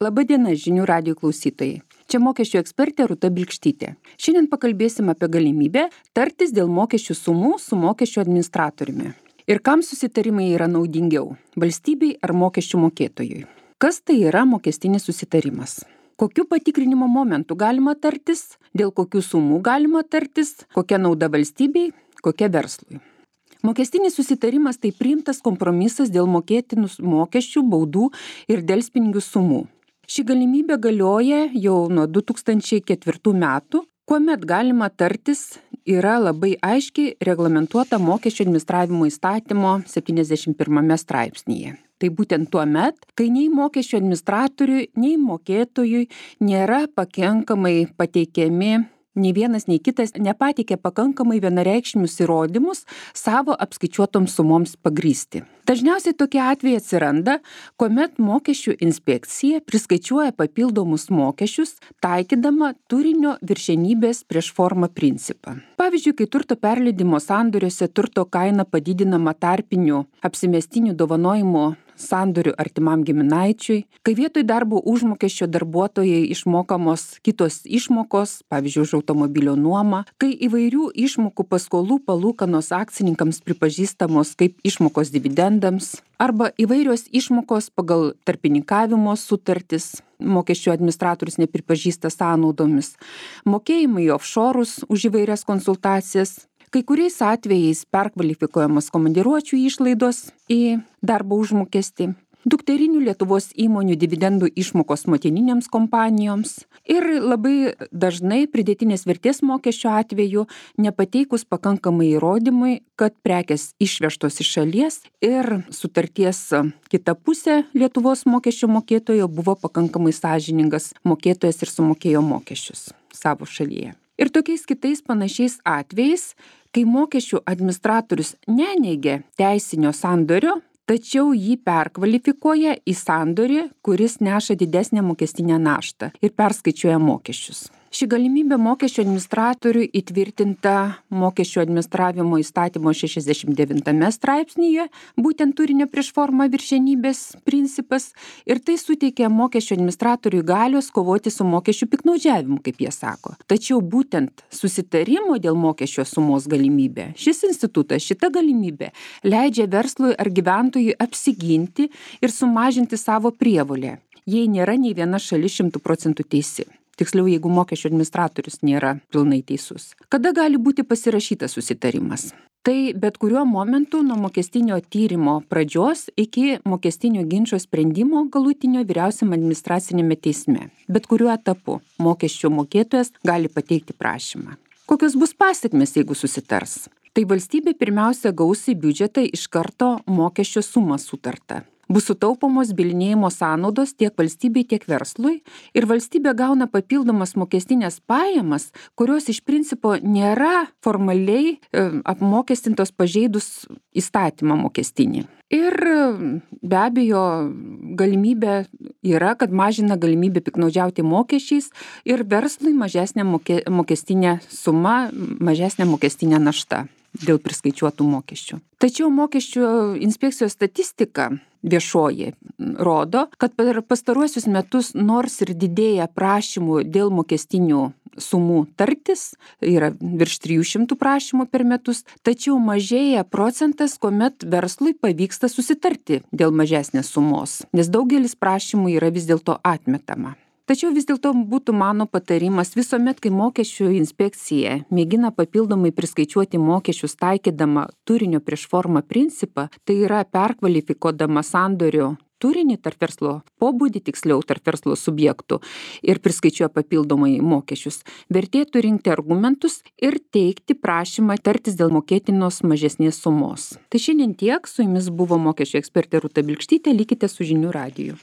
Labadiena žinių radijo klausytojai. Čia mokesčių ekspertė Rūta Bilkštytė. Šiandien pakalbėsim apie galimybę tartis dėl mokesčių sumų su mokesčių administratoriumi. Ir kam susitarimai yra naudingiau - valstybei ar mokesčių mokėtojui? Kas tai yra mokestinis susitarimas? Kokiu patikrinimo momentu galima tartis, dėl kokių sumų galima tartis, kokia nauda valstybei, kokia verslui? Mokestinis susitarimas tai priimtas kompromisas dėl mokėtinų mokesčių, baudų ir delspinigių sumų. Ši galimybė galioja jau nuo 2004 metų, kuomet galima tartis yra labai aiškiai reglamentuota mokesčių administravimo įstatymo 71 straipsnyje. Tai būtent tuo met, kai nei mokesčių administratoriui, nei mokėtojui nėra pakankamai pateikiami, nei vienas, nei kitas nepateikė pakankamai vienareikšmius įrodymus savo apskaičiuotoms sumoms pagrįsti. Dažniausiai tokie atvejai atsiranda, kuomet mokesčių inspekcija priskaičiuoja papildomus mokesčius, taikydama turinio viršenybės prieš formą principą. Pavyzdžiui, kai turto perleidimo sandoriuose turto kaina padidinama tarpiniu apsimestiniu dovanojimu sandorių artimam giminaičiui, kai vietoj darbo užmokesčio darbuotojai išmokamos kitos išmokos, pavyzdžiui, už automobilio nuomą, kai įvairių išmokų paskolų palūkanos akcininkams pripažįstamos kaip išmokos dividendams, arba įvairios išmokos pagal tarpininkavimo sutartis, mokesčių administratorius nepripažįsta sąnaudomis, mokėjimai į offshorus už įvairias konsultacijas, kai kuriais atvejais perkvalifikuojamas komandiruočių išlaidos į darbo užmokestį, dukterinių Lietuvos įmonių dividendų išmokos motininėms kompanijoms ir labai dažnai pridėtinės vertės mokesčio atveju nepateikus pakankamai įrodymui, kad prekės išvežtos iš šalies ir sutarties kita pusė Lietuvos mokesčio mokėtojo buvo pakankamai sąžiningas mokėtojas ir sumokėjo mokesčius savo šalyje. Ir tokiais kitais panašiais atvejais, kai mokesčių administratorius neneigia teisinio sandorio, tačiau jį perkvalifikuoja į sandorį, kuris neša didesnę mokestinę naštą ir perskaičiuoja mokesčius. Ši galimybė mokesčių administratoriui įtvirtinta mokesčių administravimo įstatymo 69 straipsnyje, būtent turinio prieš formą viršenybės principas, ir tai suteikia mokesčių administratoriui galios kovoti su mokesčių piktnaudžiavimu, kaip jie sako. Tačiau būtent susitarimo dėl mokesčio sumos galimybė, šis institutas, šita galimybė leidžia verslui ar gyventojui apsiginti ir sumažinti savo prievolę, jei nėra nei viena šalis 100% teisi. Tiksliau, jeigu mokesčių administratorius nėra pilnai teisus. Kada gali būti pasirašytas susitarimas? Tai bet kuriuo momentu nuo mokestinio tyrimo pradžios iki mokestinio ginčo sprendimo galutinio vyriausiam administracinėme teisme. Bet kuriuo etapu mokesčių mokėtojas gali pateikti prašymą. Kokios bus pasekmės, jeigu susitars? Tai valstybė pirmiausia gaus į biudžetą iš karto mokesčio sumą sutartą. Bus sutaupomos bylinėjimo sąnaudos tiek valstybei, tiek verslui ir valstybė gauna papildomas mokestinės pajamas, kurios iš principo nėra formaliai apmokestintos pažeidus įstatymą mokestinį. Ir be abejo galimybė yra, kad mažina galimybę piktnaudžiauti mokesčiais ir verslui mažesnė mokestinė suma, mažesnė mokestinė našta dėl priskaičiuotų mokesčių. Tačiau mokesčių inspekcijos statistika viešoji rodo, kad per pastaruosius metus nors ir didėja prašymų dėl mokestinių sumų tartis, yra virš 300 prašymų per metus, tačiau mažėja procentas, kuomet verslui pavyksta susitarti dėl mažesnės sumos, nes daugelis prašymų yra vis dėlto atmetama. Tačiau vis dėlto būtų mano patarimas visuomet, kai mokesčių inspekcija mėgina papildomai priskaičiuoti mokesčius taikydama turinio prieš formą principą, tai yra perkvalifikuodama sandorio turinį tarp verslo pobūdį, tiksliau tarp verslo subjektų ir priskaičiuoja papildomai mokesčius, vertėtų rinkti argumentus ir teikti prašymą tartis dėl mokėtinos mažesnės sumos. Tai šiandien tiek, su jumis buvo mokesčių ekspertė Rūta Bilkštytė, likite su žinių radiju.